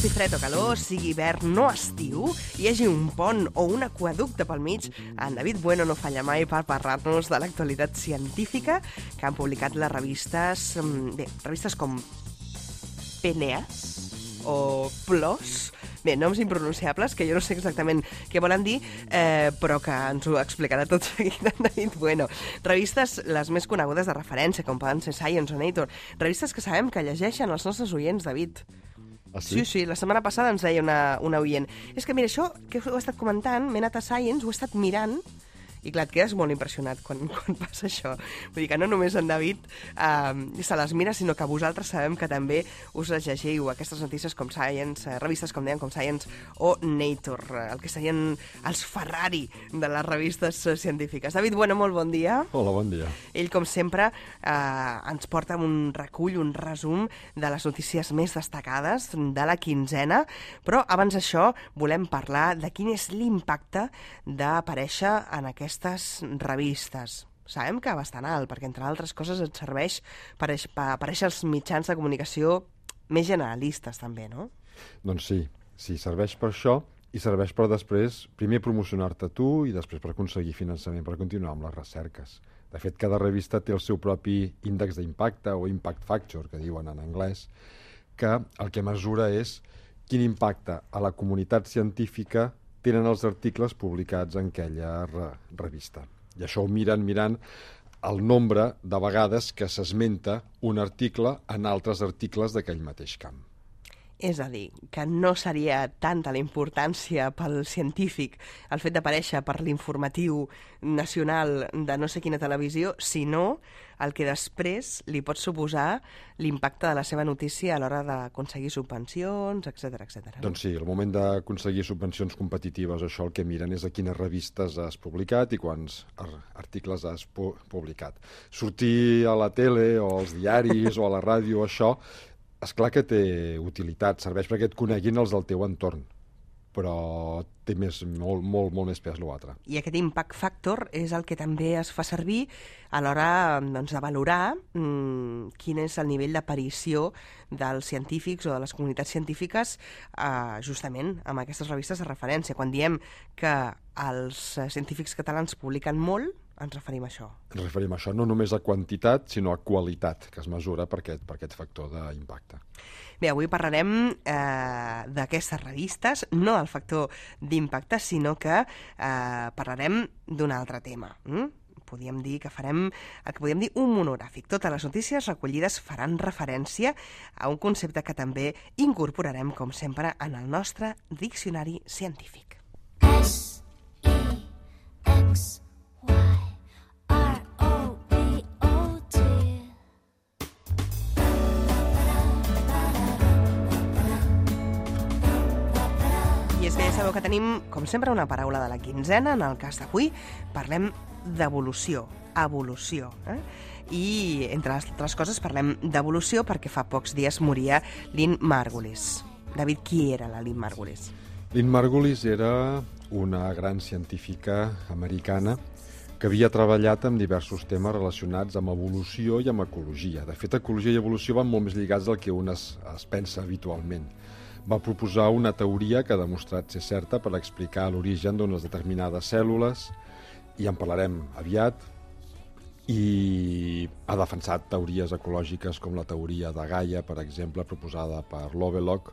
faci fred o calor, sigui hivern o estiu, hi hagi un pont o un aqüeducte pel mig, en David Bueno no falla mai per parlar-nos de l'actualitat científica que han publicat les revistes, revistes com PNAS o PLOS, noms impronunciables, que jo no sé exactament què volen dir, però que ens ho explicarà tot seguit en David Bueno. Revistes les més conegudes de referència, com poden ser Science o Nature. Revistes que sabem que llegeixen els nostres oients, David. Ah, sí? Sí, la setmana passada ens deia una oient. És que, mira, això que ho he estat comentant, m'he anat a Science, ho he estat mirant, i clar, et quedes molt impressionat quan passa això. Vull dir que no només en David se les mira, sinó que vosaltres sabem que també us les llegiu, aquestes notícies com Science, revistes com deien, com Science o Nature, el que serien els Ferrari de les revistes científiques. David Bueno, molt bon dia. Hola, bon dia. Ell, com sempre, ens porta un recull, un resum de les notícies més destacades de la quinzena, però abans d'això volem parlar de quin és l'impacte d'aparèixer en aquestes revistes. Sabem que bastant alt, perquè entre altres coses et serveix per aparèixer als mitjans de comunicació més generalistes també, no? Doncs sí, serveix per això i serveix per després, primer promocionar-te tu i després per aconseguir finançament per continuar amb les recerques. De fet, cada revista té el seu propi índex d'impacte o impact factor, que diuen en anglès, que el que mesura és quin impacte a la comunitat científica tenen els articles publicats en aquella revista. I això ho mirant el nombre de vegades que s'esmenta un article en altres articles d'aquell mateix camp. És a dir, que no seria tanta la importància pel científic el fet d'aparèixer per l'informatiu nacional de no sé quina televisió, sinó el que després li pot suposar l'impacte de la seva notícia a l'hora d'aconseguir subvencions, etc. Doncs sí, al moment d'aconseguir subvencions competitives, això el que miren és a quines revistes has publicat i quants articles has publicat. Sortir a la tele o als diaris o a la ràdio, això, és clar que té utilitat, serveix perquè et coneguin els del teu entorn, però té molt més pes l'altre. I aquest impact factor és el que també es fa servir a l'hora de valorar quin és el nivell d'aparició dels científics o de les comunitats científiques justament amb aquestes revistes de referència. Quan diem que els científics catalans publiquen molt, ens referim a això. Ens referim a això, no només a quantitat, sinó a qualitat, que es mesura per aquest factor d'impacte. Bé, avui parlarem d'aquestes revistes, no del factor d'impacte, sinó que parlarem d'un altre tema. Podríem dir que farem el que podríem dir un monogràfic. Totes les notícies recollides faran referència a un concepte que també incorporarem, com sempre, en el nostre diccionari científic. I és que ja sabeu que tenim, com sempre, una paraula de la quinzena. En el cas d'avui parlem d'evolució, evolució. I, entre altres coses, parlem d'evolució perquè fa pocs dies moria Lynn Margulis. David, qui era la Lynn Margulis? Lynn Margulis era una gran científica americana que havia treballat amb diversos temes relacionats amb evolució i amb ecologia. De fet, ecologia i evolució van molt més lligats del que un es pensa habitualment. Va proposar una teoria que ha demostrat ser certa per explicar l'origen d'unes determinades cèl·lules, i en parlarem aviat, i ha defensat teories ecològiques com la teoria de Gaia, per exemple, proposada per Lovelock,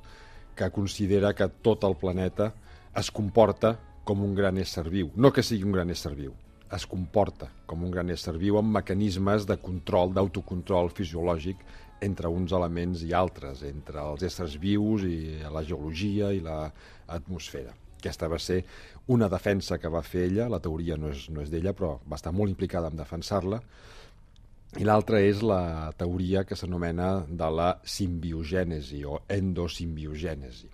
que considera que tot el planeta es comporta com un gran ésser viu. No que sigui un gran ésser viu, es comporta com un gran ésser viu amb mecanismes de control, d'autocontrol fisiològic entre uns elements i altres, entre els éssers vius i la geologia i l'atmosfera. Aquesta va ser una defensa que va fer ella, la teoria no és d'ella, però va estar molt implicada en defensar-la, i l'altra és la teoria que s'anomena de la simbiogènesi o endosimbiogenesi,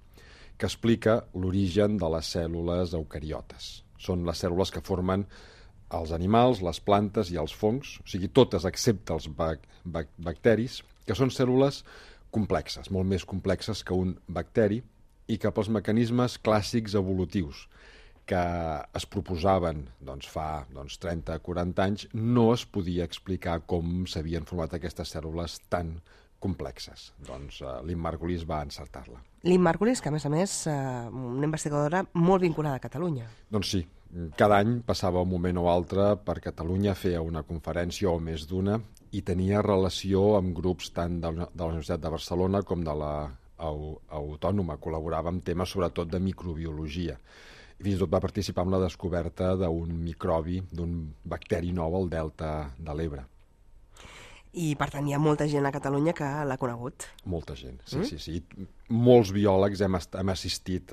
que explica l'origen de les cèl·lules eucariotes. Són les cèl·lules que formen els animals, les plantes i els fongs, o sigui, totes excepte els bacteris, que són cèl·lules complexes, molt més complexes que un bacteri, i que pels mecanismes clàssics evolutius que es proposaven fa 30-40 anys no es podia explicar com s'havien format aquestes cèl·lules tan complexes. Doncs Lynn Margulis va encertar-la. Lynn Margulis, que a més, una investigadora molt vinculada a Catalunya. Doncs sí, cada any passava un moment o altre per Catalunya, feia una conferència o més d'una i tenia relació amb grups tant de la Universitat de Barcelona com de la Autònoma. Col·laborava en temes sobretot de microbiologia. I fins i tot va participar en la descoberta d'un microbi, d'un bacteri nou al delta de l'Ebre. I, per tant, hi ha molta gent a Catalunya que l'ha conegut. Molta gent, sí. Molts biòlegs hem assistit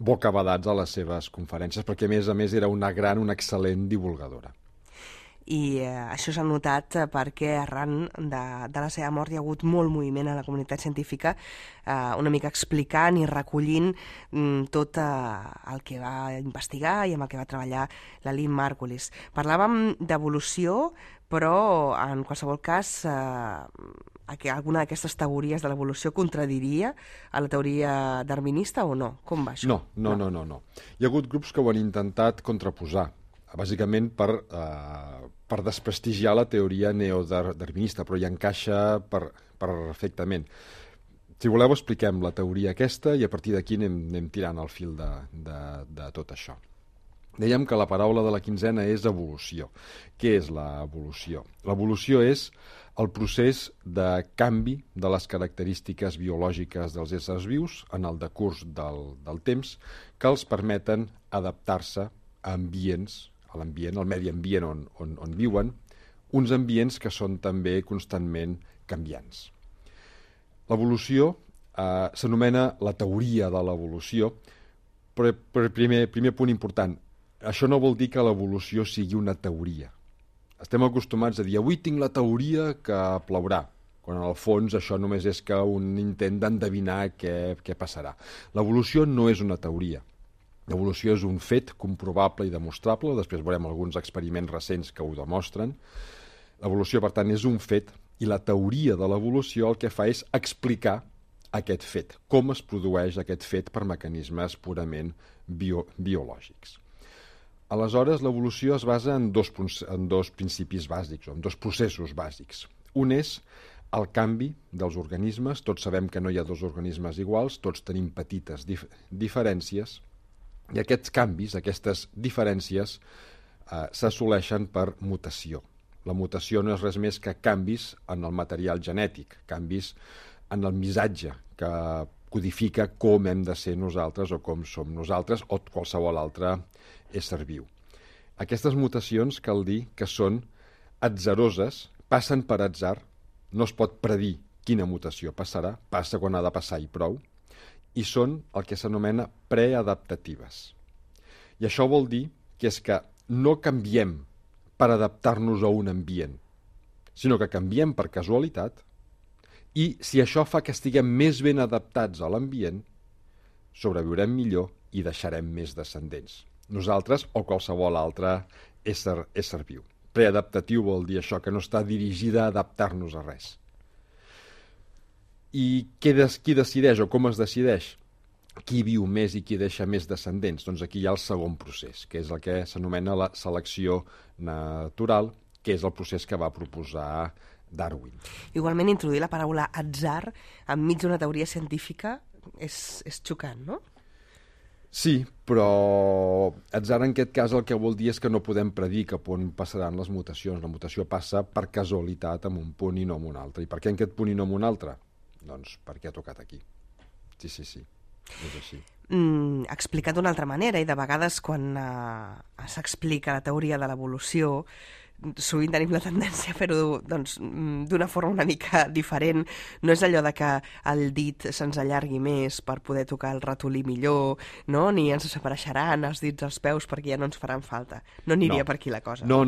bocabadats a les seves conferències perquè, a més, era una excel·lent divulgadora. I això s'ha notat perquè arran de la seva mort hi ha hagut molt moviment a la comunitat científica, una mica explicant i recollint tot el que va investigar i amb el que va treballar la Lynn Margulis. Parlàvem d'evolució, però en qualsevol cas alguna d'aquestes teories de l'evolució contradiria a la teoria darwinista o no? Com va això? No. Hi ha hagut grups que ho han intentat contraposar, bàsicament per desprestigiar la teoria neodarwinista, però hi encaixa perfectament. Si voleu, expliquem la teoria aquesta i a partir d'aquí anem tirant el fil de tot això. Dèiem que la paraula de la quinzena és evolució. Què és l'evolució? L'evolució és el procés de canvi de les característiques biològiques dels éssers vius en el decurs del temps que els permeten adaptar-se a ambients, al medi ambient on viuen, uns ambients que són també constantment canviants. L'evolució s'anomena la teoria de l'evolució, però primer punt important, això no vol dir que l'evolució sigui una teoria. Estem acostumats a dir, avui tinc la teoria que plourà, quan en el fons això només és que un intent d'endevinar què passarà. L'evolució no és una teoria. L'evolució és un fet comprovable i demostrable, després veurem alguns experiments recents que ho demostren. L'evolució, per tant, és un fet i la teoria de l'evolució el que fa és explicar aquest fet, com es produeix aquest fet per mecanismes purament biològics. Aleshores, l'evolució es basa en dos principis bàsics, o en dos processos bàsics. Un és el canvi dels organismes. Tots sabem que no hi ha dos organismes iguals, tots tenim petites diferències, i aquests canvis, aquestes diferències, s'assoleixen per mutació. La mutació no és res més que canvis en el material genètic, canvis en el missatge que codifica com hem de ser nosaltres o com som nosaltres o qualsevol altre ésser viu. Aquestes mutacions cal dir que són atzaroses, passen per atzar, no es pot predir quina mutació passarà, passa quan ha de passar i prou, i són el que s'anomena preadaptatives. I això vol dir que és que no canviem per adaptar-nos a un ambient, sinó que canviem per casualitat i si això fa que estiguem més ben adaptats a l'ambient, sobreviurem millor i deixarem més descendents. Nosaltres o qualsevol altre ésser viu. Preadaptatiu vol dir això, que no està dirigida a adaptar-nos a res. I qui decideix o com es decideix? Qui viu més i qui deixa més descendents? Doncs aquí hi ha el segon procés, que és el que s'anomena la selecció natural, que és el procés que va proposar Darwin. Igualment, introduir la paraula atzar enmig d'una teoria científica és xocant, no? Sí, però atzar en aquest cas el que vol dir és que no podem predir cap on passaran les mutacions. La mutació passa per casualitat en un punt i no en un altre. I per què en aquest punt i no en un altre? Doncs perquè ha tocat aquí. Sí, és així. Explicat d'una altra manera, i de vegades quan s'explica la teoria de l'evolució, sovint tenim la tendència a fer-ho d'una forma una mica diferent. No és allò de que el dit se'ns allargui més per poder tocar el ratolí millor, no? Ni ens desapareixeran els dits als peus perquè ja no ens faran falta. No aniria per aquí la cosa. No.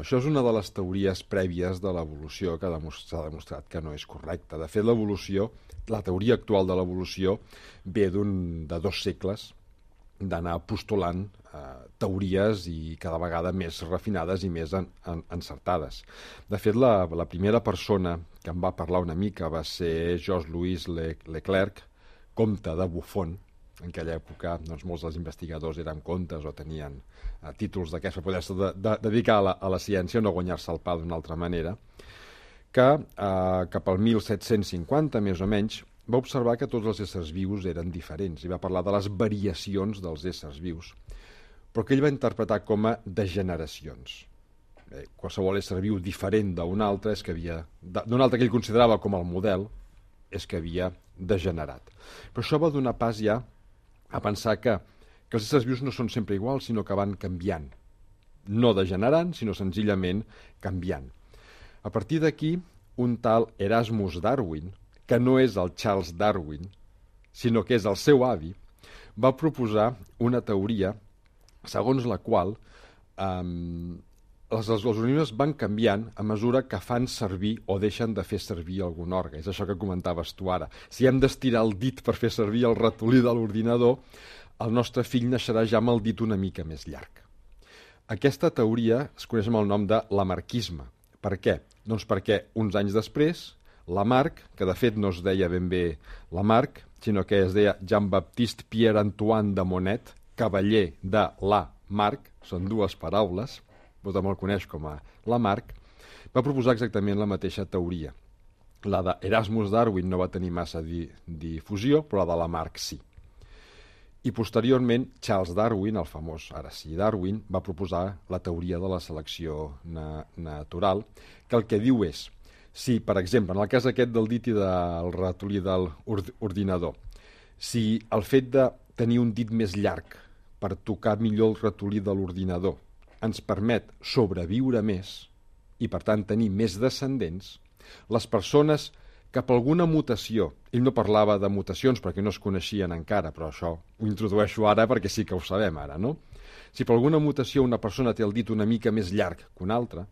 Això és una de les teories prèvies de l'evolució que s'ha demostrat que no és correcta. De fet, l'evolució, la teoria actual de l'evolució ve de 2 segles d'anar postulant teories i cada vegada més refinades i més encertades. De fet, la primera persona que em va parlar una mica va ser Georges-Louis Leclerc, comte de Buffon. En aquella època molts dels investigadors eren comtes o tenien títols d'aquests per poder-se dedicar a la ciència o no guanyar-se el pa d'una altra manera, que cap al 1750, més o menys, va observar que tots els éssers vius eren diferents i va parlar de les variacions dels éssers vius, però que ell va interpretar com a degeneracions. Qualsevol ésser viu diferent d'un altre, d'un altre que ell considerava com el model, és que havia degenerat. Però això va donar pas ja a pensar que els éssers vius no són sempre iguals, sinó que van canviant. No degenerant, sinó senzillament canviant. A partir d'aquí, un tal Erasmus Darwin, que no és el Charles Darwin, sinó que és el seu avi, va proposar una teoria segons la qual els organismes van canviant a mesura que fan servir o deixen de fer servir algun òrgan. És això que comentaves tu ara. Si hem d'estirar el dit per fer servir el ratolí de l'ordinador, el nostre fill naixerà ja amb el dit una mica més llarg. Aquesta teoria es coneix amb el nom de lamarckisme. Per què? Doncs perquè uns anys després, Lamarck, que de fet no es deia ben bé Lamarck, sinó que es deia Jean-Baptiste Pierre-Antoine de Monnet, cavaller de Lamarck, són dues paraules, vostè me'l coneix com a Lamarck, va proposar exactament la mateixa teoria. La d'Erasmus Darwin no va tenir massa difusió, però la de Lamarck sí. I posteriorment, Charles Darwin, el famós, ara sí, Darwin, va proposar la teoria de la selecció natural, que el que diu és, si, per exemple, en el cas aquest del dit i del ratolí de l'ordinador, si el fet de tenir un dit més llarg per tocar millor el ratolí de l'ordinador ens permet sobreviure més i, per tant, tenir més descendents, les persones que per alguna mutació, ell no parlava de mutacions perquè no es coneixien encara, però això ho introdueixo ara perquè sí que ho sabem ara, no? Si per alguna mutació una persona té el dit una mica més llarg que una altra,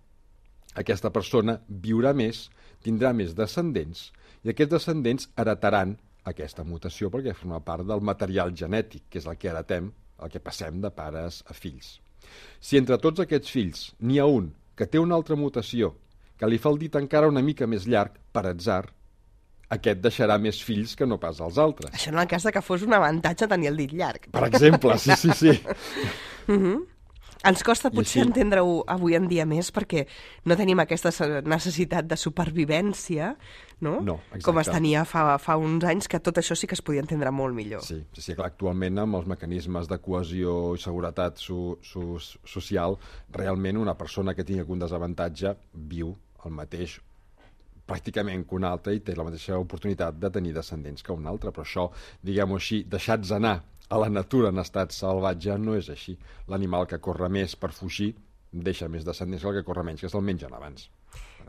aquesta persona viurà més, tindrà més descendents, i aquests descendents heretaran aquesta mutació perquè forma part del material genètic, que és el que heretem, el que passem de pares a fills. Si entre tots aquests fills n'hi ha un que té una altra mutació, que li fa el dit encara una mica més llarg, per atzar, aquest deixarà més fills que no pas els altres. Això en el cas de que fos un avantatge tenir el dit llarg. Per exemple, sí. Ens costa potser entendre-ho avui en dia més perquè no tenim aquesta necessitat de supervivència, no? No, exacte. Com es tenia fa uns anys, que tot això sí que es podia entendre molt millor. Sí, clar, actualment amb els mecanismes de cohesió i seguretat social, realment una persona que tingui algun desavantatge viu el mateix pràcticament que un altre i té la mateixa oportunitat de tenir descendents que un altre, però això, diguem-ho així, deixats anar a la natura en estat salvatge no és així. L'animal que corre més per fugir deixa més descendents que el que corre menys, que se'l mengen abans.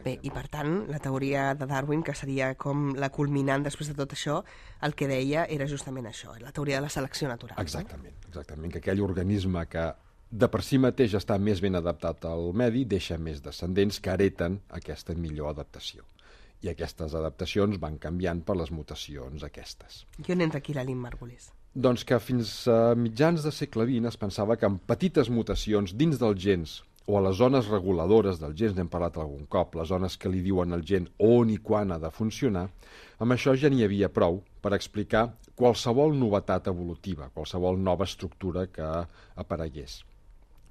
Bé, i per tant, la teoria de Darwin, que seria com la culminant després de tot això, el que deia era justament això, la teoria de la selecció natural. Exactament, que aquell organisme que de per si mateix està més ben adaptat al medi deixa més descendents que hereten aquesta millor adaptació. I aquestes adaptacions van canviant per les mutacions aquestes. I on entra aquí la Lynn Margulis? Doncs que fins a mitjans del segle XX es pensava que amb petites mutacions dins dels gens o a les zones reguladores dels gens, n'hem parlat algun cop, les zones que li diuen al gen on i quan ha de funcionar, amb això ja n'hi havia prou per explicar qualsevol novetat evolutiva, qualsevol nova estructura que aparegués.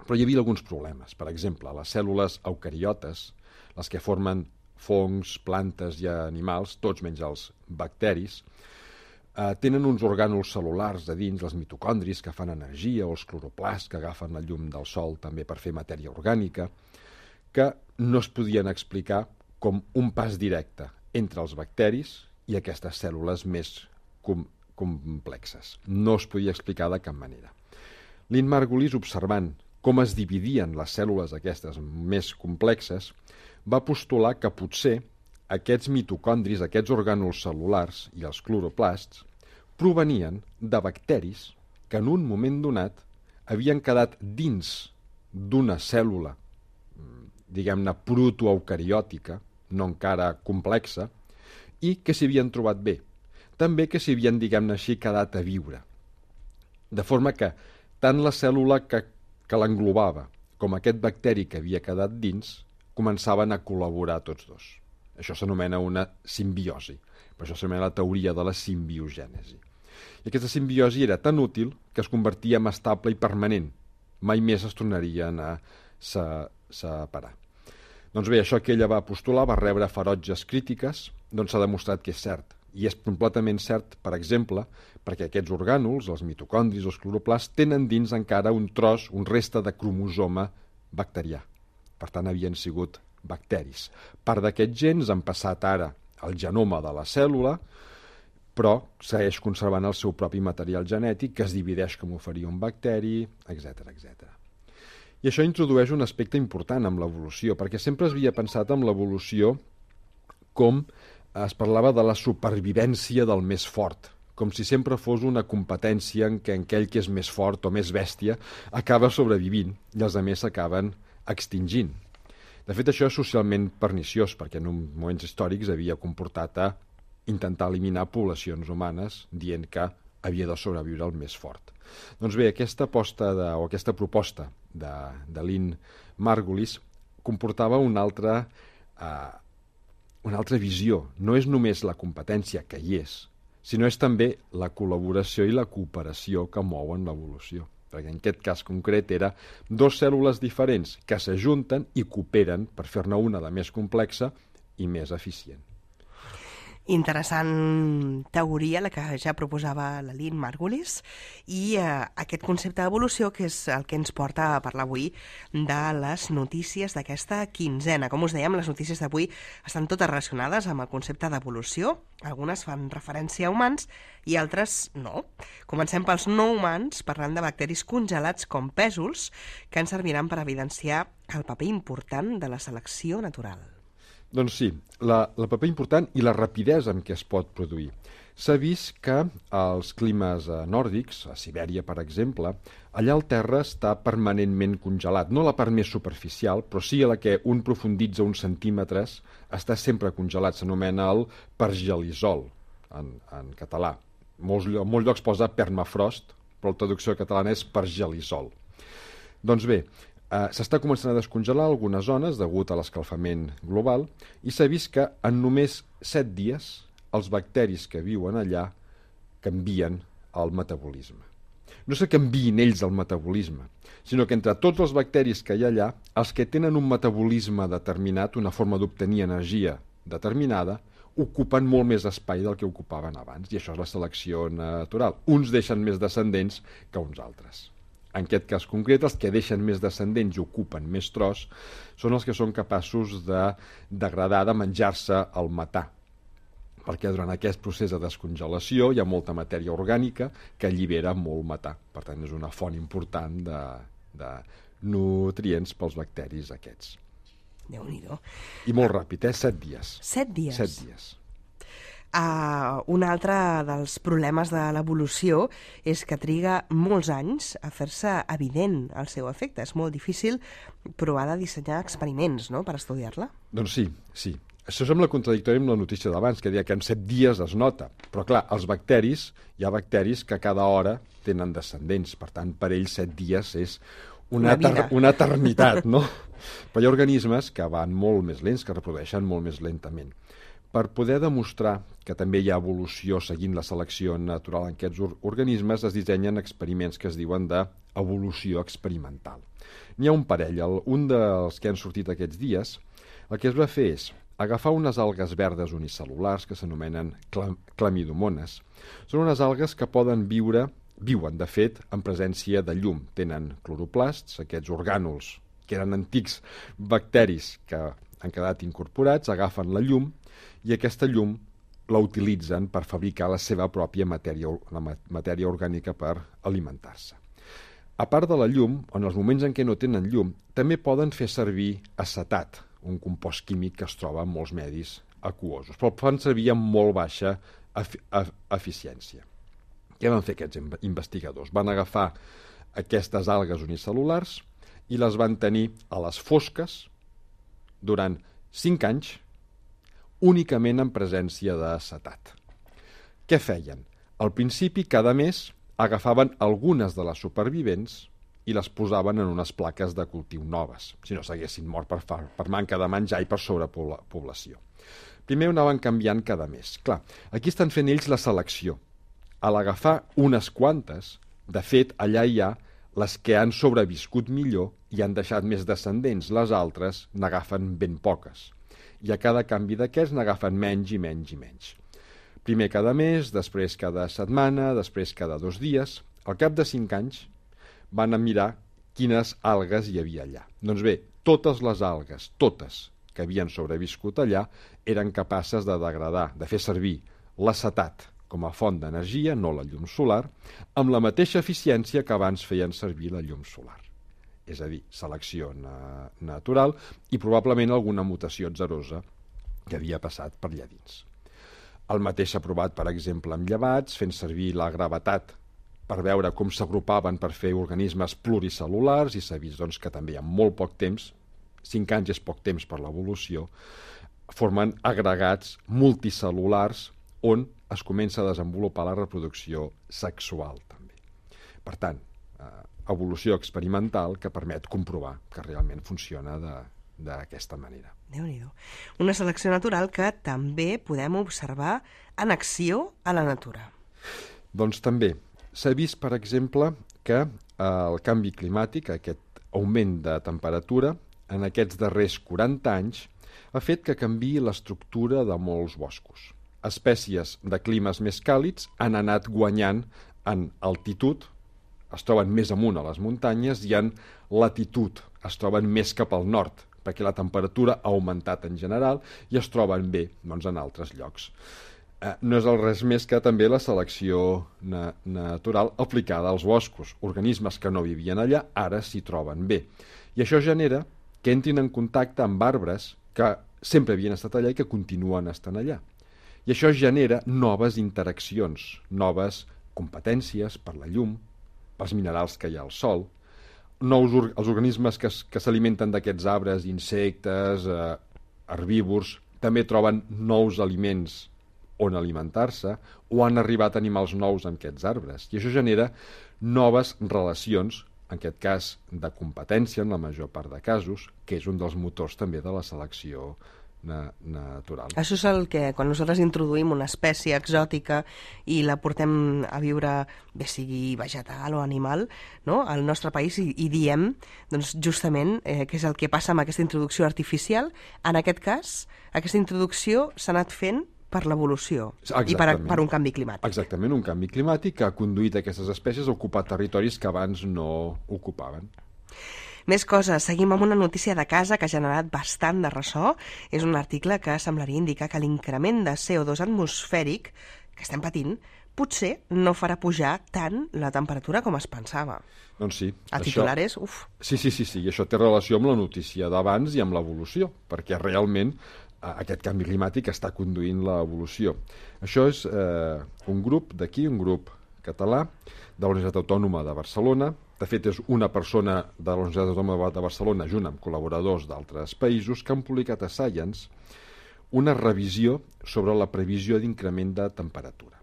Però hi havia alguns problemes. Per exemple, les cèl·lules eucariotes, les que formen fongs, plantes i animals, tots menys els bacteris, tenen uns orgànuls cel·lulars a dins, els mitocondris, que fan energia, o els cloroplasts, que agafen la llum del sol també per fer matèria orgànica, que no es podien explicar com un pas directe entre els bacteris i aquestes cèl·lules més complexes. No es podia explicar de cap manera. Lynn Margulis, observant com es dividien les cèl·lules aquestes més complexes, va postular que potser aquests mitocondris, aquests orgànuls cel·lulars i els cloroplasts provenien de bacteris que en un moment donat havien quedat dins d'una cèl·lula, diguem-ne, protoeucariòtica, no encara complexa, i que s'hi havien trobat bé. També que s'hi havien, diguem-ne així, quedat a viure. De forma que tant la cèl·lula que l'englobava com aquest bacteri que havia quedat dins començaven a col·laborar tots dos. Això s'anomena una simbiosi. Per això s'anomena la teoria de la simbiogènesi. I aquesta simbiosi era tan útil que es convertia en estable i permanent. Mai més es tornarien a separar. Doncs bé, això que ella va postular va rebre ferotges crítiques, doncs s'ha demostrat que és cert. I és completament cert, per exemple, perquè aquests orgànuls, els mitocondris o els cloroplasts, tenen dins encara un tros, un reste de cromosoma bacterià. Per tant, havien sigut bacteris. Part d'aquests gens han passat ara al genoma de la cèl·lula, però segueix conservant el seu propi material genètic, que es divideix com ho faria un bacteri, etc etc. I això introdueix un aspecte important amb l'evolució, perquè sempre es havia pensat en l'evolució com es parlava de la supervivència del més fort, com si sempre fos una competència en què aquell que és més fort o més bèstia acaba sobrevivint i els altres s'acaben extingint. De fet, això és socialment perniciós, perquè en moments històrics havia comportat a intentar eliminar poblacions humanes dient que havia de sobreviure el més fort. Doncs bé, aquesta proposta de Lynn Margulis comportava una altra visió. No és només la competència, que hi és, sinó és també la col·laboració i la cooperació que mouen l'evolució. Perquè en aquest cas concret era dues cèl·lules diferents que s'ajunten i cooperen per fer-ne una de més complexa i més eficient. Interessant teoria, la que ja proposava la Lynn Margulis, i aquest concepte d'evolució que és el que ens porta a parlar avui de les notícies d'aquesta quinzena. Com us dèiem, les notícies d'avui estan totes relacionades amb el concepte d'evolució. Algunes fan referència a humans i altres no. Comencem pels no humans, parlant de bacteris congelats com pèsols, que ens serviran per evidenciar el paper important de la selecció natural. Doncs sí, el paper important i la rapidesa amb què es pot produir. S'ha vist que als climes nòrdics, a Sibèria, per exemple, allà el terra està permanentment congelat. No la part més superficial, però sí a la que un profunditza uns centímetres, està sempre congelat. S'anomena el pergelisol, en català. Molts llocs posa permafrost, però la traducció catalana és pergelisol. Doncs bé, s'està començant a descongelar algunes zones degut a l'escalfament global i s'ha vist que en només 7 dies els bacteris que viuen allà canvien el metabolisme. No és que canviïn ells el metabolisme, sinó que entre tots els bacteris que hi ha allà, els que tenen un metabolisme determinat, una forma d'obtenir energia determinada, ocupen molt més espai del que ocupaven abans, i això és la selecció natural. Uns deixen més descendents que uns altres. En aquest cas concret, els que deixen més descendents i ocupen més tros són els que són capaços de degradar, de menjar-se el metà, perquè durant aquest procés de descongelació hi ha molta matèria orgànica que allibera molt metà. Per tant, és una font important de nutrients pels bacteris aquests. Déu-n'hi-do. I molt ràpid, 7 dies. 7 dies? 7 dies. Un altre dels problemes de l'evolució és que triga molts anys a fer-se evident el seu efecte. És molt difícil provar de dissenyar experiments, no?, per estudiar-la. Doncs sí. Això sembla contradictori amb la notícia d'abans, que deia que en 7 dies es nota. Però clar, hi ha bacteris que cada hora tenen descendents. Per tant, per ells 7 dies és una eternitat, no? Però hi ha organismes que van molt més lents, que reprodueixen molt més lentament. Per poder demostrar que també hi ha evolució seguint la selecció natural en aquests organismes, es dissenyen experiments que es diuen d'evolució experimental. N'hi ha un parell. Un dels que han sortit aquests dies, el que es va fer és agafar unes algues verdes unicel·lulars que s'anomenen clamidomones. Són unes algues que viuen, de fet, en presència de llum. Tenen cloroplasts, aquests orgànuls que eren antics bacteris que han quedat incorporats, agafen la llum i aquesta llum la utilitzen per fabricar la seva pròpia matèria orgànica per alimentar-se. A part de la llum, en els moments en què no tenen llum, també poden fer servir acetat, un compost químic que es troba en molts medis aquosos, però el fan servir amb molt baixa eficiència. Què van fer aquests investigadors? Van agafar aquestes algues unicel·lulars i les van tenir a les fosques durant 5 anys, únicament en presència d'acetat. Què feien? Al principi, cada mes, agafaven algunes de les supervivents i les posaven en unes plaques de cultiu noves, si no s'haguessin mort per manca de menjar i per sobrepoblació. Primer ho anaven canviant cada mes. Clar, aquí estan fent ells la selecció. A l'agafar unes quantes, de fet, allà hi ha Les que han sobreviscut millor i han deixat més descendents, les altres n'agafen ben poques. I a cada canvi d'aquests n'agafen menys i menys i menys. Primer cada mes, després cada setmana, després cada 2 dies. Al cap de 5 anys van a mirar quines algues hi havia allà. Doncs bé, totes les algues, totes que havien sobreviscut allà, eren capaces de degradar, de fer servir l'acetat com a font d'energia, no la llum solar, amb la mateixa eficiència que abans feien servir la llum solar. És a dir, selecció natural i probablement alguna mutació atzarosa que havia passat per allà dins. El mateix s'ha provat, per exemple, amb llevats, fent servir la gravetat per veure com s'agrupaven per fer organismes pluricel·lulars, i s'ha vist doncs, que també en molt poc temps, 5 anys és poc temps per l'evolució, formen agregats multicel·lulars on es comença a desenvolupar la reproducció sexual també. Per tant, evolució experimental que permet comprovar que realment funciona d'aquesta manera. Déu-n'hi-do. Una selecció natural que també podem observar en acció a la natura. Doncs també. S'ha vist, per exemple, que el canvi climàtic, aquest augment de temperatura, en aquests darrers 40 anys, ha fet que canviï l'estructura de molts boscos. Espècies de climes més càlids han anat guanyant en altitud, es troben més amunt a les muntanyes, i en latitud es troben més cap al nord, perquè la temperatura ha augmentat en general i es troben bé doncs, en altres llocs. No és res més que també la selecció natural aplicada als boscos. Organismes que no vivien allà ara s'hi troben bé. I això genera que entrin en contacte amb arbres que sempre havien estat allà i que continuen estant allà. I això genera noves interaccions, noves competències per la llum, pels minerals que hi ha al sol, els organismes que s'alimenten d'aquests arbres, insectes, herbívors, també troben nous aliments on alimentar-se, o han arribat animals nous en aquests arbres. I això genera noves relacions, en aquest cas de competència, en la major part de casos, que és un dels motors també de la selecció natural. Això és el que, quan nosaltres introduïm una espècie exòtica i la portem a viure, bé sigui vegetal o animal, no? Al nostre país, i diem doncs, justament què és el que passa amb aquesta introducció artificial. En aquest cas, aquesta introducció s'ha anat fent per l'evolució i per un canvi climàtic. Exactament, un canvi climàtic que ha conduït aquestes espècies a ocupar territoris que abans no ocupaven. Més coses. Seguim amb una notícia de casa que ha generat bastant de ressò. És un article que semblaria indicar que l'increment de CO2 atmosfèric que estem patint potser no farà pujar tant la temperatura com es pensava. Doncs sí. El titular és... Uf. Sí, i això té relació amb la notícia d'abans i amb l'evolució, perquè realment aquest canvi climàtic està conduint l'evolució. Això és un grup d'aquí, un grup català, de la Universitat Autònoma de Barcelona. De fet, és una persona de la Universitat Autònoma de Barcelona, junt amb col·laboradors d'altres països, que han publicat a Science una revisió sobre la previsió d'increment de temperatura.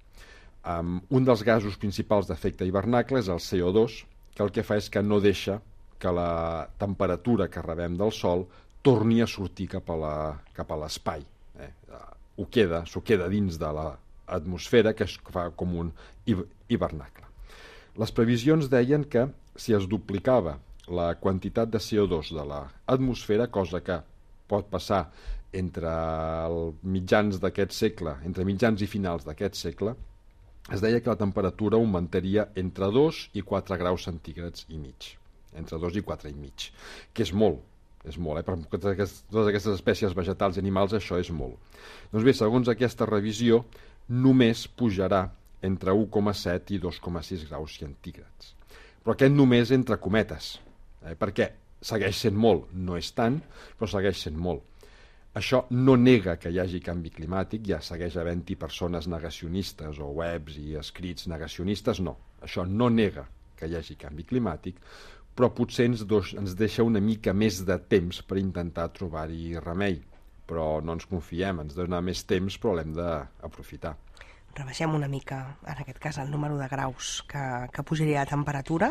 Un dels gasos principals d'efecte hivernacle és el CO2, que el que fa és que no deixa que la temperatura que rebem del Sol torni a sortir cap a l'espai. S'ho queda dins de l'atmosfera, que fa com un hivernacle. Les previsions deien que si es duplicava la quantitat de CO2 de l'atmosfera, cosa que pot passar entre mitjans d'aquest segle, entre mitjans i finals d'aquest segle, es deia que la temperatura augmentaria entre 2 i 4 graus centígrads i mig. Entre 2 i 4 i mig, que és molt. És molt, per totes aquestes espècies vegetals i animals això és molt. Doncs bé, segons aquesta revisió, només pujarà entre 1,7 i 2,6 graus centígrads. Però aquest només entre cometes, perquè segueix sent molt, no és tant, però segueix sent molt. Això no nega que hi hagi canvi climàtic, ja segueix havent-hi persones negacionistes o webs i escrits negacionistes, no. Això no nega que hi hagi canvi climàtic, però potser ens deixa una mica més de temps per intentar trobar-hi remei. Però no ens confiem, ens dona més temps, però l'hem d'aprofitar. Rebaixem una mica, en aquest cas, el número de graus que pujaria la temperatura.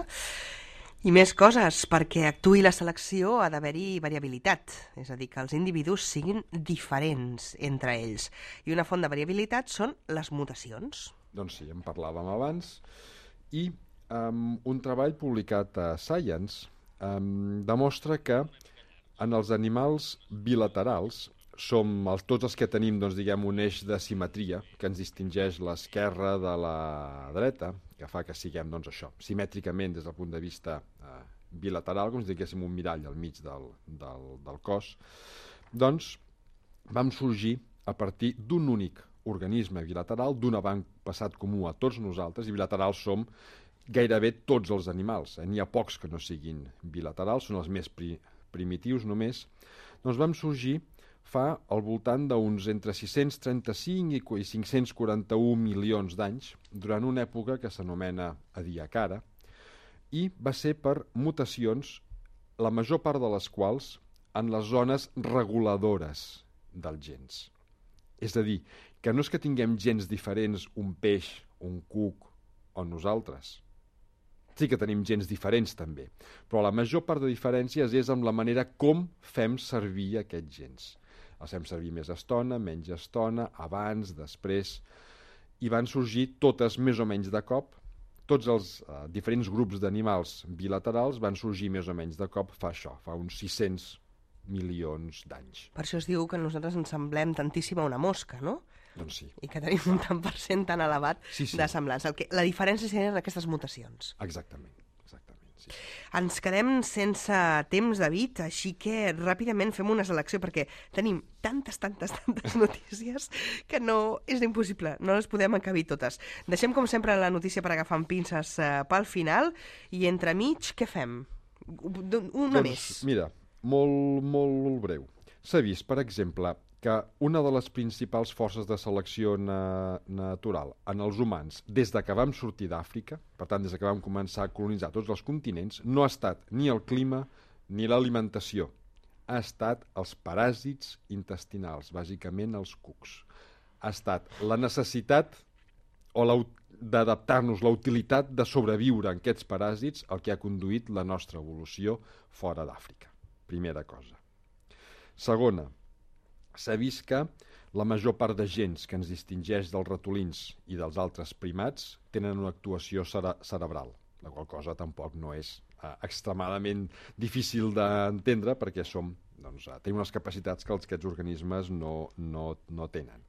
I més coses, perquè actuï la selecció ha d'haver-hi variabilitat, és a dir, que els individus siguin diferents entre ells. I una font de variabilitat són les mutacions. Doncs sí, en parlàvem abans, i un treball publicat a Science demostra que en els animals bilaterals tots els que tenim, doncs, diguem, un eix de simetria que ens distingeix l'esquerra de la dreta, que fa que siguem, doncs, això, simètricament des del punt de vista bilateral, com si diguéssim un mirall al mig del cos, doncs vam sorgir a partir d'un únic organisme bilateral, d'un avantpassat comú a tots nosaltres, i bilaterals som gairebé tots els animals. N'hi ha pocs que no siguin bilaterals, són els més primitius només. Doncs vam sorgir fa al voltant d'uns entre 635 i 541 milions d'anys, durant una època que s'anomena Ediacara, i va ser per mutacions, la major part de les quals en les zones reguladores dels gens. És a dir, que no és que tinguem gens diferents, un peix, un cuc o nosaltres. Sí que tenim gens diferents també, però la major part de diferències és amb la manera com fem servir aquests gens. Els fem servir més estona, menys estona, abans, després, i van sorgir totes més o menys de cop. Tots els diferents grups d'animals bilaterals van sorgir més o menys de cop fa uns 600 milions d'anys. Per això es diu que nosaltres ens semblem tantíssim a una mosca, no? Doncs sí. I que tenim un tant per cent tan elevat de semblança. La diferència serien aquestes mutacions. Exactament. Sí. Ens quedem sense temps, David, així que ràpidament fem una selecció, perquè tenim tantes notícies que no és impossible, no les podem encabir totes. Deixem, com sempre, la notícia per agafar amb pinces pel final, i entremig, què fem? Una més. Mira, molt breu. S'ha vist, per exemple, que una de les principals forces de selecció natural en els humans, des de que vam sortir d'Àfrica, per tant, des de que vam començar a colonitzar tots els continents, no ha estat ni el clima ni l'alimentació. Ha estat els paràsits intestinals, bàsicament els cucs. Ha estat la necessitat d'adaptar-nos, la utilitat de sobreviure en aquests paràsits el que ha conduït la nostra evolució fora d'Àfrica. Primera cosa. Segona, s'ha vist que la major part de gens que ens distingeix dels ratolins i dels altres primats tenen una actuació cerebral, la qual cosa tampoc no és extremadament difícil d'entendre, perquè tenim unes capacitats que aquests organismes no tenen.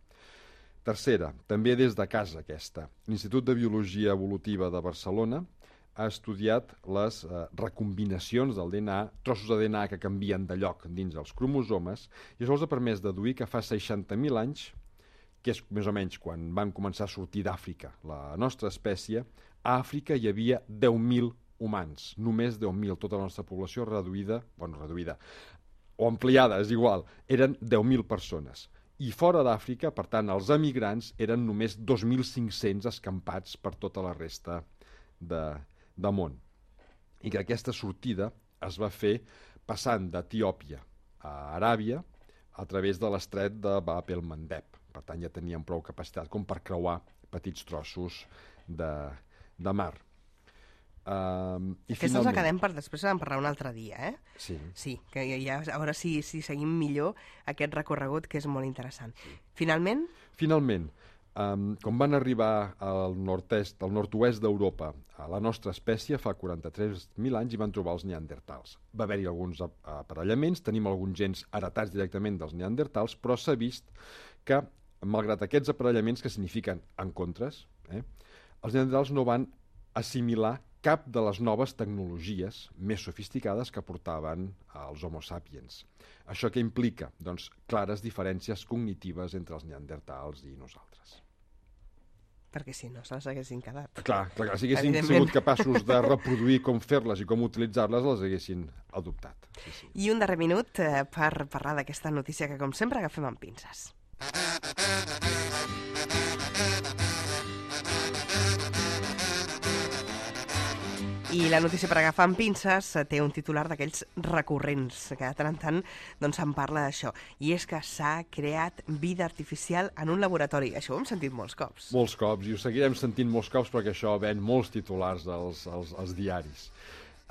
Tercera, també des de casa aquesta. L'Institut de Biologia Evolutiva de Barcelona ha estudiat les recombinacions del DNA, trossos de DNA que canvien de lloc dins els cromosomes, i això els ha permès deduir que fa 60.000 anys, que és més o menys quan van començar a sortir d'Àfrica la nostra espècie, a Àfrica hi havia 10.000 humans, només 10.000, tota la nostra població reduïda o ampliada, és igual, eren 10.000 persones. I fora d'Àfrica, per tant, els emigrants eren només 2.500 escampats per tota la resta de món. I que aquesta sortida es va fer passant d'Etiòpia a Aràbia a través de l'estret de Bab el-Mandeb. Per tant, ja tenien prou capacitat com per creuar petits trossos de mar. Aquestes la quedem per després en parlar un altre dia, eh? Sí, que ja a veure si seguim millor aquest recorregut, que és molt interessant. Finalment, com van arribar al nord-oest d'Europa a la nostra espècie fa 43.000 anys, i van trobar els neandertals. Va haver-hi alguns aparellaments, tenim alguns gens heretats directament dels neandertals, però s'ha vist que, malgrat aquests aparellaments que signifiquen encontres, els neandertals no van assimilar cap de les noves tecnologies més sofisticades que portaven els Homo sapiens. Això què implica? Doncs clares diferències cognitives entre els neandertals i nosaltres. Perquè si no, se les haguessin quedat. Clar, si haguessin sigut capaços de reproduir com fer-les i com utilitzar-les, les haguessin adoptat. Sí. I un darrer minut per parlar d'aquesta notícia que, com sempre, agafem amb pinces. I la notícia per agafar amb pinces té un titular d'aquells recurrents, que de tant en tant doncs, se'n parla d'això. I és que s'ha creat vida artificial en un laboratori. Això ho hem sentit molts cops. Molts cops, i ho seguirem sentint molts cops perquè això ven molts titulars als diaris.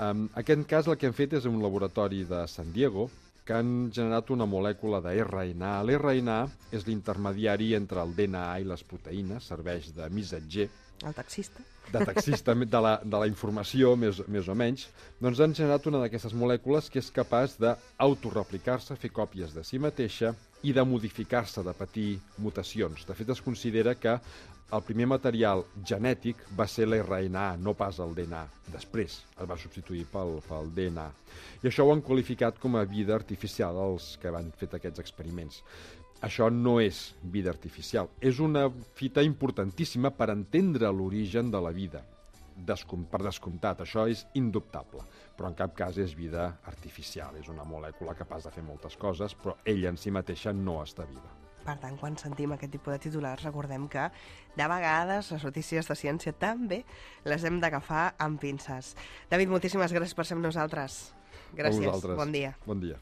En aquest cas el que hem fet és un laboratori de San Diego que han generat una molècula de RNA. L'RNA és l'intermediari entre el DNA i les proteïnes, serveix de missatger. El taxista. de taxista de la informació, més o menys, doncs han generat una d'aquestes molècules que és capaç d'autoreplicar-se, fer còpies de si mateixa i de modificar-se, de patir mutacions. De fet, es considera que el primer material genètic va ser l'RNA, no pas el DNA. Després es va substituir pel DNA. I això ho han qualificat com a vida artificial, els que han fet aquests experiments. Això no és vida artificial. És una fita importantíssima per entendre l'origen de la vida. Per descomptat, això és indubtable. Però en cap cas és vida artificial. És una molècula capaç de fer moltes coses, però ella en si mateixa no està viva. Per tant, quan sentim aquest tipus de titulars, recordem que de vegades les notícies de ciència també les hem d'agafar amb pinces. David, moltíssimes gràcies per ser amb nosaltres. Gràcies, bon dia. Bon dia.